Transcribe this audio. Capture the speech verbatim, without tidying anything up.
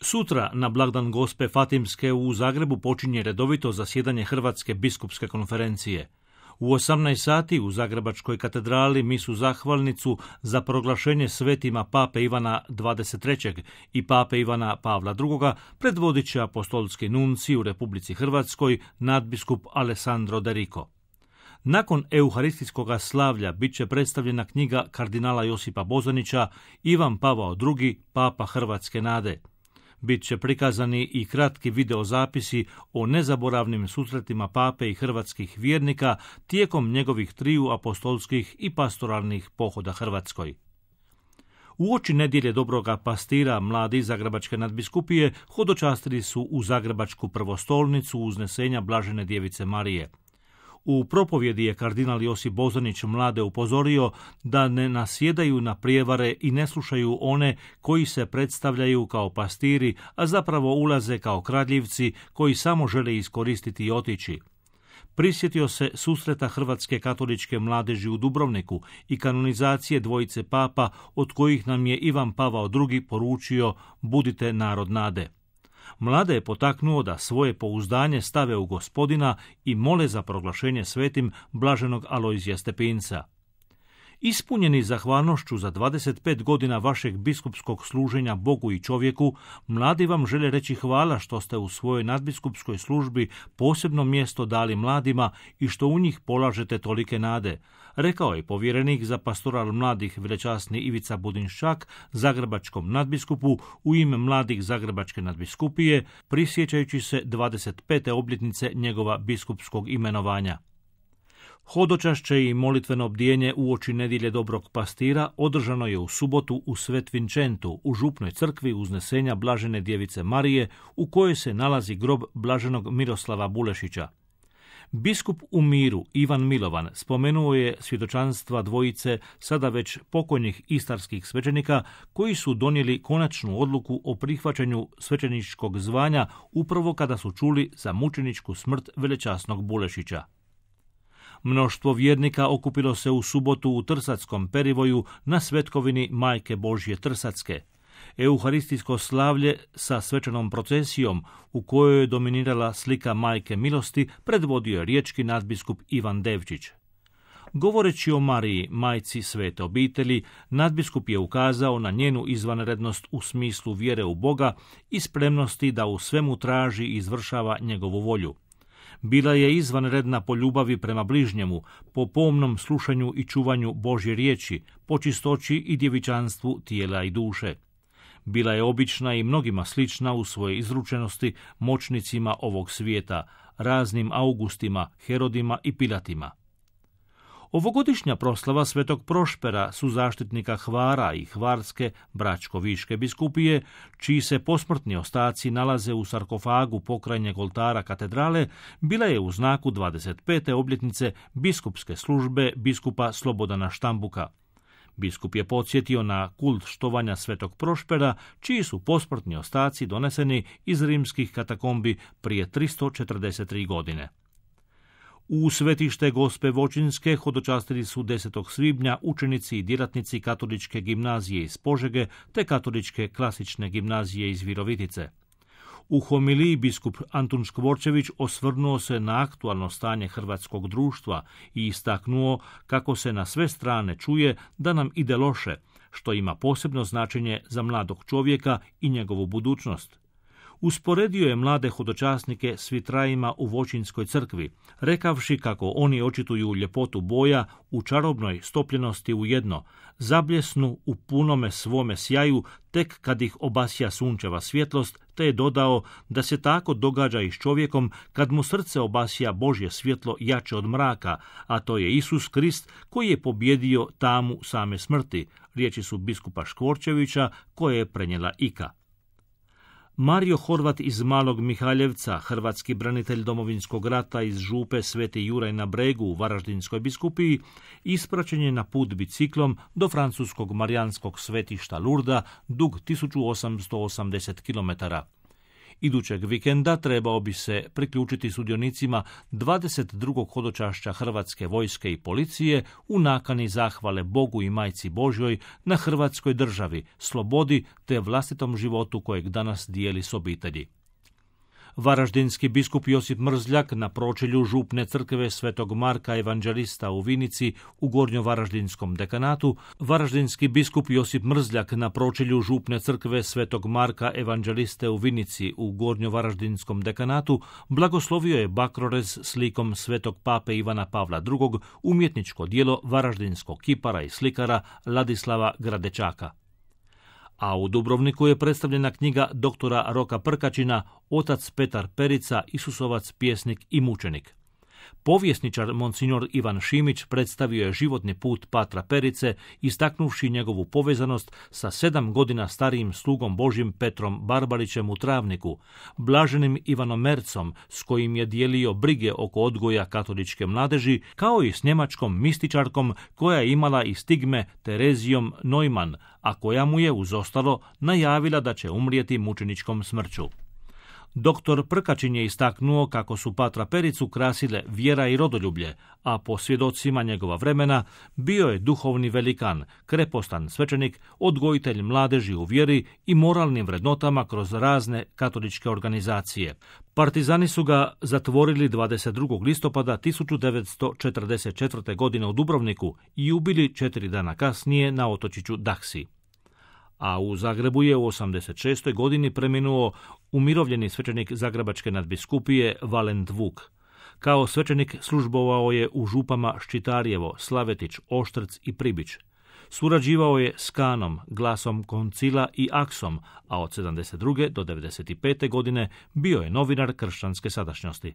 Sutra, na blagdan Gospe Fatimske, u Zagrebu počinje redovito zasjedanje Hrvatske biskupske konferencije. U osamnaest sati u Zagrebačkoj katedrali misu zahvalnicu za proglašenje svetima pape Ivana dvadeset trećeg i pape Ivana Pavla drugoga predvodit će apostolski nunci u Republici Hrvatskoj nadbiskup Alessandro De Rico. Nakon euharistijskog slavlja bit će predstavljena knjiga kardinala Josipa Bozanića Ivan Pavao drugi, papa Hrvatske nade. Bit će prikazani i kratki videozapisi o nezaboravnim susretima pape i hrvatskih vjernika tijekom njegovih triju apostolskih i pastoralnih pohoda Hrvatskoj. Uoči nedjelje Dobroga pastira mladi Zagrebačke nadbiskupije hodočastili su u Zagrebačku prvostolnicu uznesenja Blažene djevice Marije. U propovjedi je kardinal Josip Bozanić mlade upozorio da ne nasjedaju na prijevare i ne slušaju one koji se predstavljaju kao pastiri, a zapravo ulaze kao kradljivci koji samo žele iskoristiti i otići. Prisjetio se susreta Hrvatske katoličke mladeži u Dubrovniku i kanonizacije dvojice papa od kojih nam je Ivan Pavao drugi poručio budite narod nade. Mlade je potaknuo da svoje pouzdanje stave u Gospodina i mole za proglašenje svetim blaženog Alojzija Stepinca. Ispunjeni zahvalnošću za dvadeset pet godina vašeg biskupskog služenja Bogu i čovjeku, mladi vam žele reći hvala što ste u svojoj nadbiskupskoj službi posebno mjesto dali mladima i što u njih polažete tolike nade, rekao je povjerenik za pastoral mladih velečasni Ivica Budinščak zagrebačkom nadbiskupu u ime mladih Zagrebačke nadbiskupije, prisjećajući se dvadeset pete obljetnice njegova biskupskog imenovanja. Hodočašće i molitveno bdijenje uoči nedjelje Dobrog pastira održano je u subotu u Svet Vincentu, u župnoj crkvi uznesenja Blažene djevice Marije, u kojoj se nalazi grob blaženog Miroslava Bulešića. Biskup u miru Ivan Milovan spomenuo je svjedočanstva dvojice sada već pokojnih istarskih svećenika koji su donijeli konačnu odluku o prihvaćanju svećeničkog zvanja upravo kada su čuli za mučeničku smrt velečasnog Bulešića. Mnoštvo vjernika okupilo se u subotu u Trsackom perivoju na svetkovini Majke Božje Trsatske. Euharistijsko slavlje sa svečanom procesijom u kojoj je dominirala slika Majke milosti predvodio je riječki nadbiskup Ivan Devčić. Govoreći o Mariji, majci svete obitelji, nadbiskup je ukazao na njenu izvanrednost u smislu vjere u Boga i spremnosti da u svemu traži i izvršava njegovu volju. Bila je izvanredna po ljubavi prema bližnjemu, po pomnom slušanju i čuvanju Božje riječi, po čistoći i djevičanstvu tijela i duše. Bila je obična i mnogima slična u svojoj izručenosti moćnicima ovog svijeta, raznim Augustima, Herodima i Pilatima. Ovogodišnja proslava Svetog Prošpera su zaštitnika Hvara i Hvarske bračko-viške biskupije, čiji se posmrtni ostaci nalaze u sarkofagu pokrajnjeg oltara katedrale, bila je u znaku dvadeset pete obljetnice biskupske službe biskupa Slobodana Štambuka. Biskup je podsjetio na kult štovanja Svetog Prošpera, čiji su posmrtni ostaci doneseni iz rimskih katakombi prije tristo četrdeset tri godine. U svetište Gospe Vočinske hodočastili su desetog svibnja učenici i djelatnici Katoličke gimnazije iz Požege te Katoličke klasične gimnazije iz Virovitice. U homiliji biskup Antun Škvorčević osvrnuo se na aktualno stanje hrvatskog društva i istaknuo kako se na sve strane čuje da nam ide loše, što ima posebno značenje za mladog čovjeka i njegovu budućnost. Usporedio je mlade hodočasnike s vitrajima u Vočinskoj crkvi, rekavši kako oni očituju ljepotu boja u čarobnoj stopljenosti u jedno, zabljesnu u punome svome sjaju tek kad ih obasja sunčeva svjetlost, te je dodao da se tako događa i s čovjekom kad mu srce obasja Božje svjetlo jače od mraka, a to je Isus Krist koji je pobjedio tamu same smrti, riječi su biskupa Škvorčevića koje je prenijela Ika. Mario Horvat iz Malog Mihaljevca, hrvatski branitelj Domovinskog rata iz župe Sveti Juraj na Bregu u Varaždinskoj biskupiji, ispraćen je na put biciklom do francuskog marijanskog svetišta Lurda, dug tisuću osamsto osamdeset kilometara. Idućeg vikenda trebao bi se priključiti sudionicima dvadeset drugog hodočašća Hrvatske vojske i policije u nakani zahvale Bogu i Majci Božjoj na Hrvatskoj državi, slobodi te vlastitom životu kojeg danas dijeli s obitelji. Varaždinski biskup Josip Mrzljak na pročelju župne crkve Svetog Marka Evanđelista u Vinici u Gornjovaraždinskom dekanatu, Varaždinski biskup Josip Mrzljak na pročelju župne crkve Svetog Marka Evanđeliste u Vinici u Gornjovaraždinskom dekanatu blagoslovio je bakrorez slikom Svetog pape Ivana Pavla drugog, umjetničko djelo varaždinskog kipara i slikara Ladislava Gradečaka. A u Dubrovniku je predstavljena knjiga doktora Roka Prkačina Otac Petar Perica, Isusovac, pjesnik i mučenik. Povjesničar monsignor Ivan Šimić predstavio je životni put Patra Perice, istaknuvši njegovu povezanost sa sedam godina starijim slugom Božjim Petrom Barbarićem u Travniku, blaženim Ivanom Mercom s kojim je dijelio brige oko odgoja katoličke mladeži, kao i s njemačkom mističarkom koja je imala i stigme Terezijom Neumann, a koja mu je uz ostalo najavila da će umrijeti mučeničkom smrću. Doktor Prkačin je istaknuo kako su Patra Pericu krasile vjera i rodoljublje, a po svjedocima njegova vremena bio je duhovni velikan, krepostan svećenik, odgojitelj mladeži u vjeri i moralnim vrednotama kroz razne katoličke organizacije. Partizani su ga zatvorili dvadeset drugog listopada tisuću devetsto četrdeset četvrte. godine u Dubrovniku i ubili četiri dana kasnije na otočiću Daksi. A u Zagrebu je u osamdeset šestoj. godini preminuo umirovljeni svećenik Zagrebačke nadbiskupije Valent Vuk. Kao svećenik službovao je u župama Ščitarjevo, Slavetić, Oštrc i Pribić. Surađivao je s Kanom, Glasom Koncila i Aksom, a od sedamdeset druge do devedeset pete. godine bio je novinar Kršćanske sadašnjosti.